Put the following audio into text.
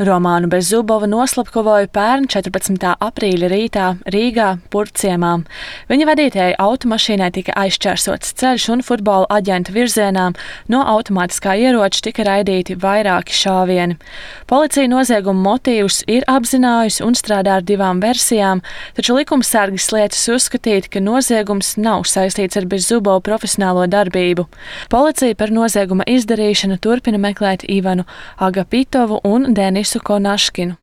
Romānu Bezzubovu noslapkavoja pērn 14. aprīļa rītā Rīgā, Purvciemā. Viņa vadītajai automašīnai tika aizšķērsots ceļš un futbola aģenta virzienā no automātiskā ieroča tika raidīti vairāki šāvieni. Policija nozieguma motīvus ir apzinājusi un strādā ar 2 versijām, taču likumsargis lietas uzskatīt, ka noziegums nav saistīts ar Bezzubovu profesionālo darbību. Policija par nozieguma izdarīšanu turpina meklēt Ivanu Agapitovu un Denisu Konaškinu.